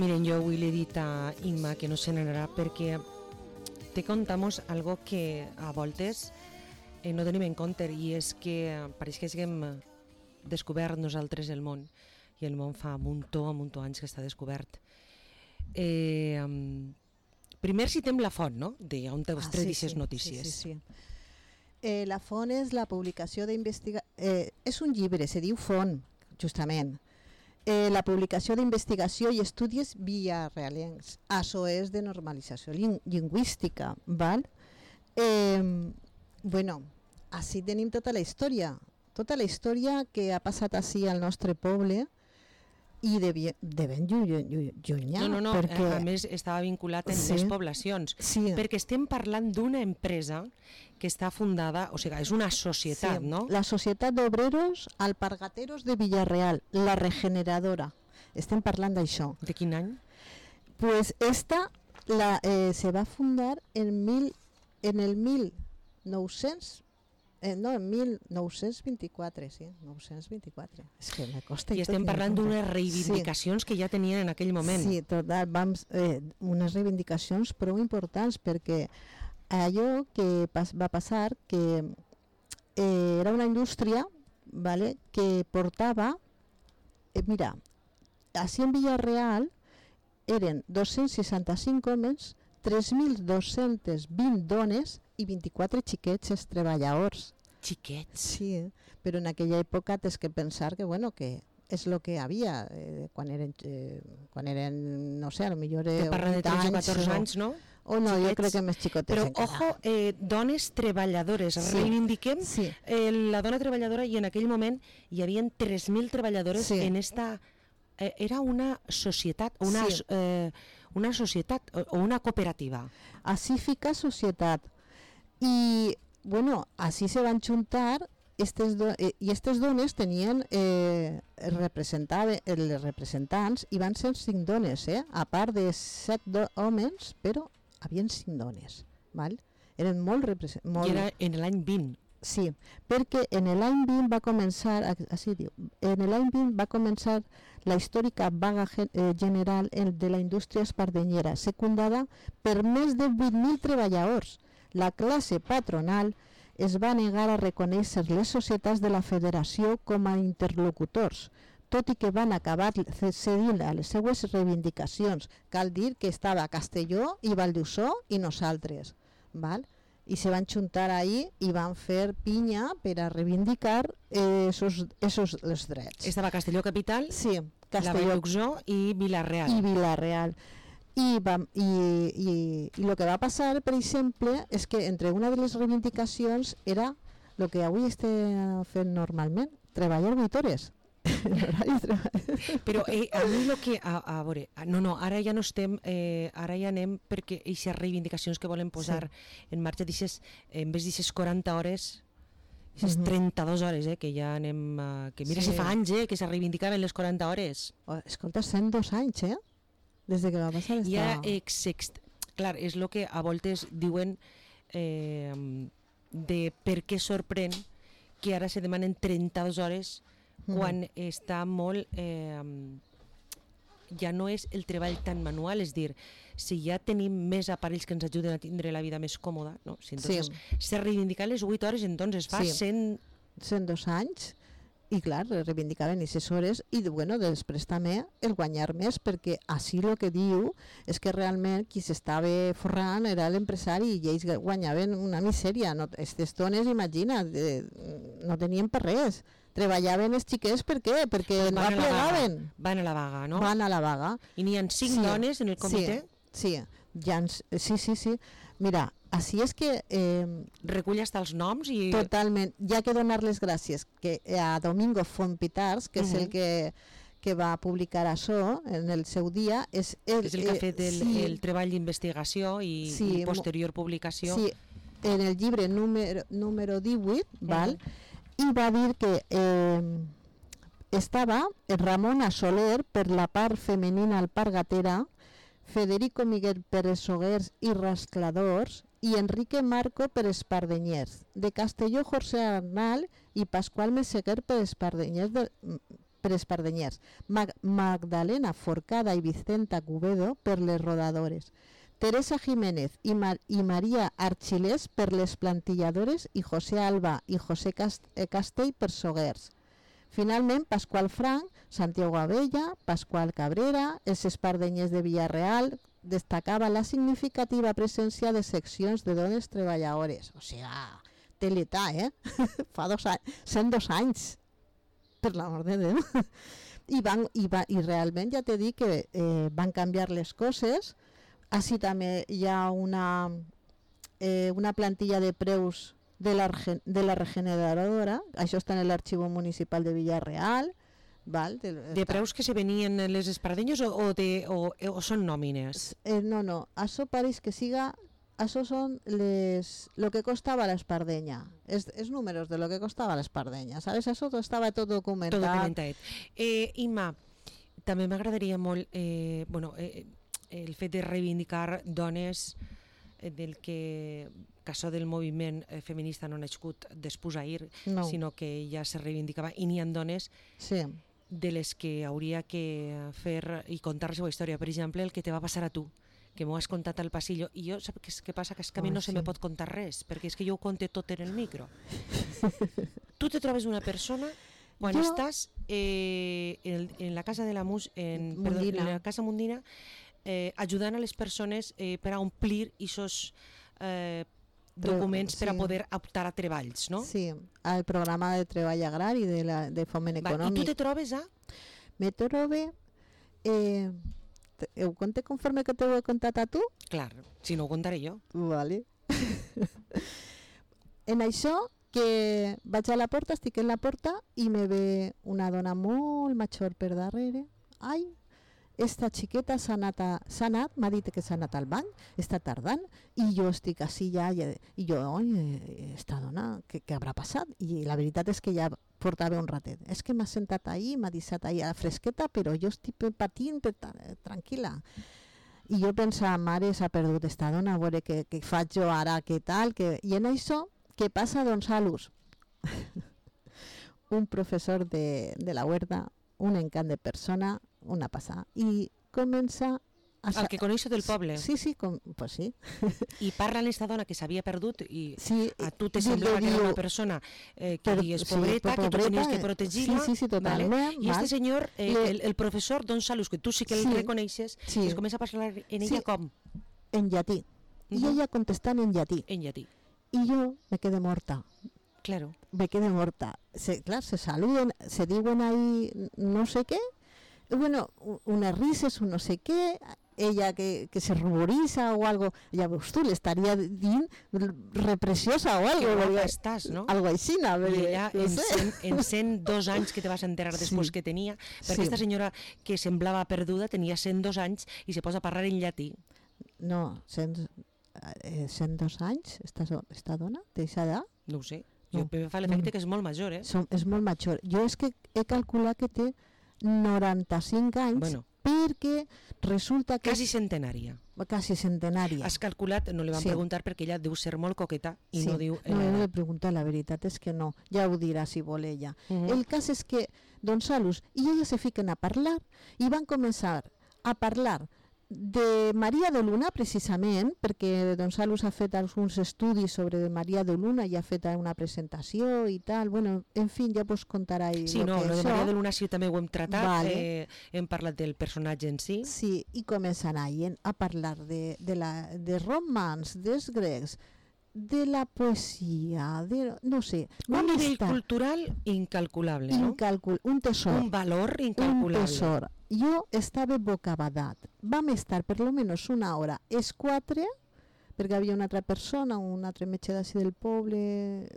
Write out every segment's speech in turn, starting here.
Miren, jo avui li he dit a Imma que no se n'anarà perquè te contamos algo que a voltes no tenim en compte, i és que pareix que haguem descobert nosaltres el món, i el món fa un muntó anys que està descobert. Primer citem la font, no?, d'on te vostres aquestes notícies. Sí. La font és la publicació d'investigació... és un llibre, se diu Font, justament. La publicació d'investigació i estudis villarrealencs. Això és de normalització lingüística, val? Bueno, així tenim tota la història que ha passat així al nostre poble, i de ben llunyà. No, perquè a més estava vinculat en les poblacions, perquè estem parlant d'una empresa que està fundada, o sigui, és una societat, no? La Societat d'Obreros Alpargateros de Villarreal, la Regeneradora. Estem parlant d'això. De quin any? Pues esta se va fundar en 1924, sí, 924. És que me costa. I estem parlant d'unes reivindicacions que ja tenien en aquell moment. Sí, total, unes reivindicacions prou importants, perquè allò que va passar que era una indústria, vale, que portava, mira, així en Villarreal eren 265 homes, 3.220 dones i 24 xiquets treballadors. Xiquets? Sí, però en aquella època tens que pensar que, bueno, que és el que havia quan eren, no sé, potser te parla de 13 o 14 anys, no? O no, xiquets. Jo crec que més xicotes. Però, ojo, dones treballadores. Reivindiquem la dona treballadora, i en aquell moment hi havia 3.000 treballadores en esta... Era una societat, una societat o una cooperativa. Així fica societat. I, bueno, així se van juntar i aquestes dones tenien els representants, i van ser 5 dones, a part de 7 homes, però havien 5 dones, val? Eren molt representants. I era en l'any 20. Sí, perquè en l'any 20 va començar, així diu, la històrica vaga general de la indústria espardenyera, secundada per més de 8.000 treballadors. La classe patronal es va negar a reconèixer les societats de la federació com a interlocutors, tot i que van acabar cedint a les seues reivindicacions. Cal dir que estava Castelló i Valldosó i nosaltres, val? I se van juntar ahí i van fer pinya per a reivindicar esos els drets. Estava Castelló capital, sí, la Valldosó i Vila-real. I el que va passar, per exemple, és que entre una de les reivindicacions era el que avui estem fent normalment, treballar 8 hores. Però a mi el que a veure, no, ara ja no estem, ara ja anem perquè aquestes reivindicacions que volen posar en marxa, en vez d'aquestes 40 hores, aquestes 32 hores, que ja anem, que mira si fa anys que se reivindicaven les 40 hores. Escolta, 102 anys, des de que va passar esta... Ja, clar, és el que a voltes diuen de per què sorprèn que ara se demanen 32 hores quan està molt... ja no és el treball tan manual, és dir, si ja tenim més aparells que ens ajuden a tindre la vida més còmoda, no? Si entonces se reivindicar les 8 hores, entonces fa 102 anys, i clar, reivindicaven aquestes hores, i bueno, després també el guanyar més, perquè així el que diu és que realment qui s'estava forrant era l'empresari, i ells guanyaven una misèria. Aquestes dones, imagina, no tenien per res, treballaven els xiquets. Per què? Perquè no plegaven. Van a la vaga, no? Van a la vaga. I n'hi ha 5 dones en el comitè? Sí. Mira, així és que... recull hasta els noms i... Totalment. Ja que donar les gràcies a Domingo Fontpitars, que és el que va publicar això en el seu dia. És el que ha fet el treball d'investigació i posterior publicació. Sí, en el llibre número 18, val? I va dir que estava Ramona Soler per la part femenina alpargatera, Federico Miguel Pérez Soguers i Rascladors, i Enrique Marco per Espardenyers, de Castelló José Arnal i Pasqual Meseguer per Espardenyers per espardenyers, Magdalena Forcada i Vicenta Cubedo per les rodadores, Teresa Jiménez i Maria Archilés per les plantilladores i José Alba i José Castell per soguers. Finalment, Pasqual Franc, Santiago Abella, Pasqual Cabrera, els espardenyers de Villarreal, destacava la significativa presència de seccions de dones treballadores. O sigui, té l'età, Fa 102 anys, per l'amor de Déu. I realment ja t'he dit que van canviar les coses. Així també hi ha una plantilla de preus de la regeneradora, això està en l'arxiu municipal de Villarreal. Val, de preus que se venien les espardenyes o són nòmines? No, això pareix que siga, això són lo que costava l'espardenya, els números de lo que costava l'espardenya, ¿sabes? Això estava tot documentat. Tot documentat. Imma, també m'agradaria molt el fet de reivindicar dones del que això del moviment feminista no ha nascut després d'ahir, sinó que ja se reivindicava, i n'hi ha dones de les que hauria que fer i contar la seva història. Per exemple, el que te va passar a tu, que m'ho has contat al passillo, i jo, saps què passa? Que és que a mi no se me pot contar res, perquè és que jo ho conte tot en el micro. Tu te trobes una persona quan estàs en la casa de la en la casa Mundina, ajudant a les persones per a omplir aquests documents per a poder optar a treballs, no? Sí, al programa de treball agrari de foment econòmic. I tu te trobes a? Me trobe... ho conté conforme que t'ho he contat a tu? Clar, si no ho contaré jo. Vale. En això, que vaig a la porta, estic en la porta i me ve una dona molt major per darrere. Ai, esta xiqueta s'ha anat, m'ha dit que s'ha anat al bany, està tardant, i jo estic així ja, i jo, esta dona, què haurà passat? I la veritat és que ja portava un ratet. És que m'ha sentat ahí, m'ha deixat ahí a la fresqueta, però jo estic patint, tranquil·la. I jo pensava, mare, s'ha perdut esta dona, a veure què faig jo ara, què tal, i en això, què passa, don Salus? Un professor de la Huerta, un encant de persona, una passada, i comença el que coneixo del poble. Sí, pues sí. I parla en esta dona que s'havia perdut i a tu te sí, semblava que era una persona que dius pobreta, que tu tenies que protegir-la. Sí, totalment. Vale? I este senyor, el professor Don Salus, que tu sí que el reconeixes, es comença a parlar en ella com? En llatí. I ella contestant en llatí. En llatí. I jo me quedé morta. Claro. Me quedé morta. Clar, se saluden, se diuen ahí no sé què, bueno, unas risas, un no sé qué, ella que se ruboriza o algo, ya ves tú, le estaría repreciosa o algo. Que guapa estàs, no? Algo així, no? I ella, en 102 anys que te vas enterar després que tenia, perquè aquesta senyora que semblava perduda tenia 102 anys i se posa a parlar en llatí. No, 102 anys, esta dona, té aquesta edat? No ho sé, jo em fa l'efecte que és molt major, És molt major. Jo és que he calculat que té 95 anys, perquè resulta que... Quasi centenària. Quasi centenària. Has calculat, no li van preguntar perquè ella deu ser molt coqueta i no diu... No, no li pregunta, la veritat és que no, ja ho dirà si vol ella. El cas és que don Salus i ella se fiquen a parlar i van començar a parlar de Maria de Luna, precisament, perquè don Salus ha fet alguns estudis sobre Maria de Luna i ha fet una presentació i tal. Bueno, en fi, ja vos contarà ell. Sí, no, lo de Maria de Luna sí també ho hem tratat, hem parlat del personatge en si. Sí, i començan a parlar de romans, dels grecs, de la poesia, no sé. Un nivell cultural incalculable, no? Un tesor. Un valor incalculable. Un tesor. Jo estava bocabadat. Vam estar per almenys una hora, els quatre, perquè havia una altra persona, un altre metge d'ací del poble,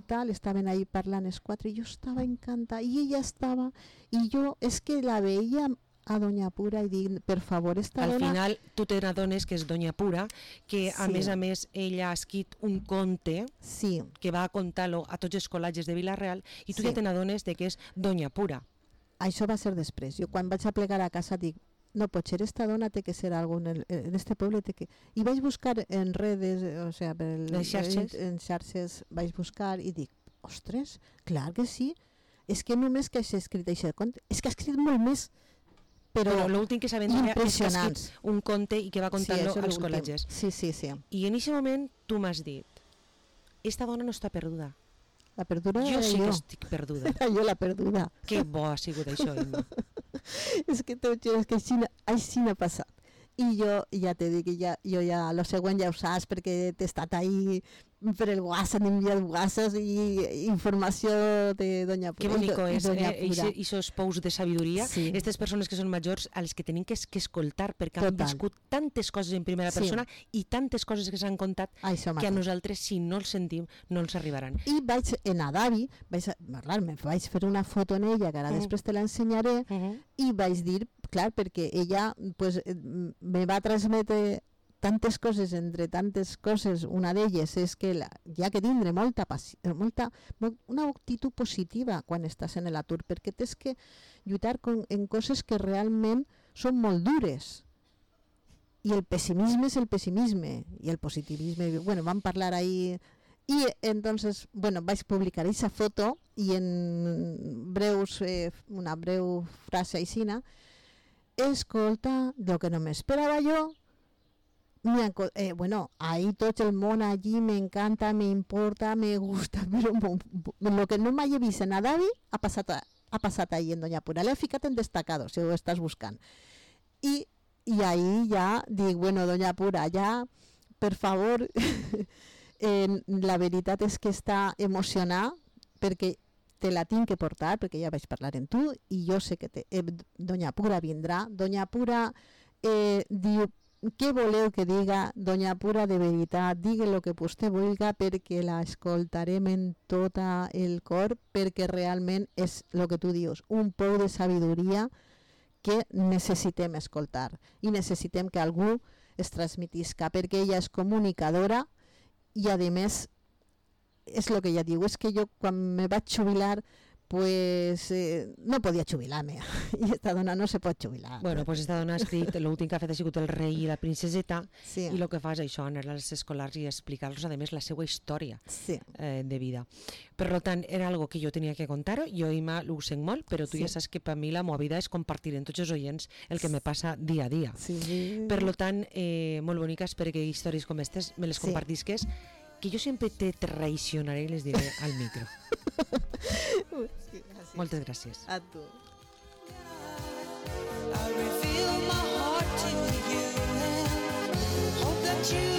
tal, estaven ahí parlant els quatre, i jo estava encantada, i ella estava, i jo és que la veia a Doña Pura i dic, per favor, esta dona... Al final, tu te n'adones que és Doña Pura, que a més, ella ha escrit un conte que va a contar-lo a tots els col·legis de Vila-real, i tu ja te n'adones que és Doña Pura. Això va ser després. Jo quan vaig a plegar a casa dic, no pot ser, esta dona té que ser algo en este poble. I vaig buscar en redes, o sea, en xarxes vaig buscar i dic, ostres, clar que sí, és que només que s'ha escrit aquest conte, és que ha escrit molt més, però l'últim que sabem d'ella és que ha impressionants. escrit un conte i que va contant-lo això és als l'últim. col·legis. Sí, sí, sí. I en aquest moment tu m'has dit, esta dona no està perduda. La perduda Jo era sí que jo. estic perduda. Era jo la perduda. Que bo ha sigut això, Imma. És que t'ho juro, és que així n'ha passat. I jo ja t'he dit que jo ja, lo següent ja ho saps perquè t'he estat ahí per el WhatsApp, he enviat WhatsApp i informació de Doña Pura. Que bonico és, Doña Pura. esos pous de sabidoria, Sí. aquestes persones que són majors a les que tenim que escoltar perquè han Total. viscut tantes coses en primera Sí. persona i tantes coses que s'han contat Això que a mateix. nosaltres, si no els sentim, no ens arribaran. I vaig en Adavi, me vaig fer una foto en ella, que ara després te l'ensenyaré, i vaig dir, clar, perquè ella pues, me va transmetre tantes coses, entre tantes coses, una d'elles és que hi ha que tindre una actitud positiva quan estàs en l'atur, perquè tens que lluitar en coses que realment són molt dures. I el pessimisme és el pessimisme, i el positivisme, bueno, vam parlar ahí, i entonces, bueno, vaig publicar aquesta foto, i en una breu frase aixina, escolta, lo que no m'esperava jo, bueno, ahí tot el món allí me encanta, me importa, me gusta, però lo que no m'hagi vist en Adavi ha passat ahí en Doña Pura. L'he ficat en destacado, si ho estàs buscant. I ahí ja dic, bueno, Doña Pura, ja, per favor, la veritat és que està emocionada perquè te la tinc que portar, perquè ja vaig parlar amb tu, i jo sé que Doña Pura vindrà. Doña Pura diu, què voleu que diga? Doña Pura, de veritat, digui el que vostè vulga perquè la escoltarem en tot el cor, perquè realment és el que tu dius, un pou de sabidoria que necessitem escoltar i necessitem que algú es transmetisca, perquè ella és comunicadora i a més és el que ella diu, és que jo quan me vaig jubilar pues no podia jubilar-me i esta dona no se pot jubilar. Bueno, pues esta dona ha escrit, l'últim que ha fet ha sigut el rei i la princeseta, sí. I el que fa és això, anar als escolars i explicar-los a més la seva història sí. De vida. Per tant, era algo que jo tenia que contar-ho, jo Imma ho sent molt, però tu ja saps que per mi la meva vida és compartir amb tots els oients el que me passa dia a dia. Sí. Per tant, molt boniques perquè històries com aquestes me les compartisques, que jo sempre te traicionaré i les diré al micro. Moltes gràcies. A tu. I reveal my heart to you and hope that you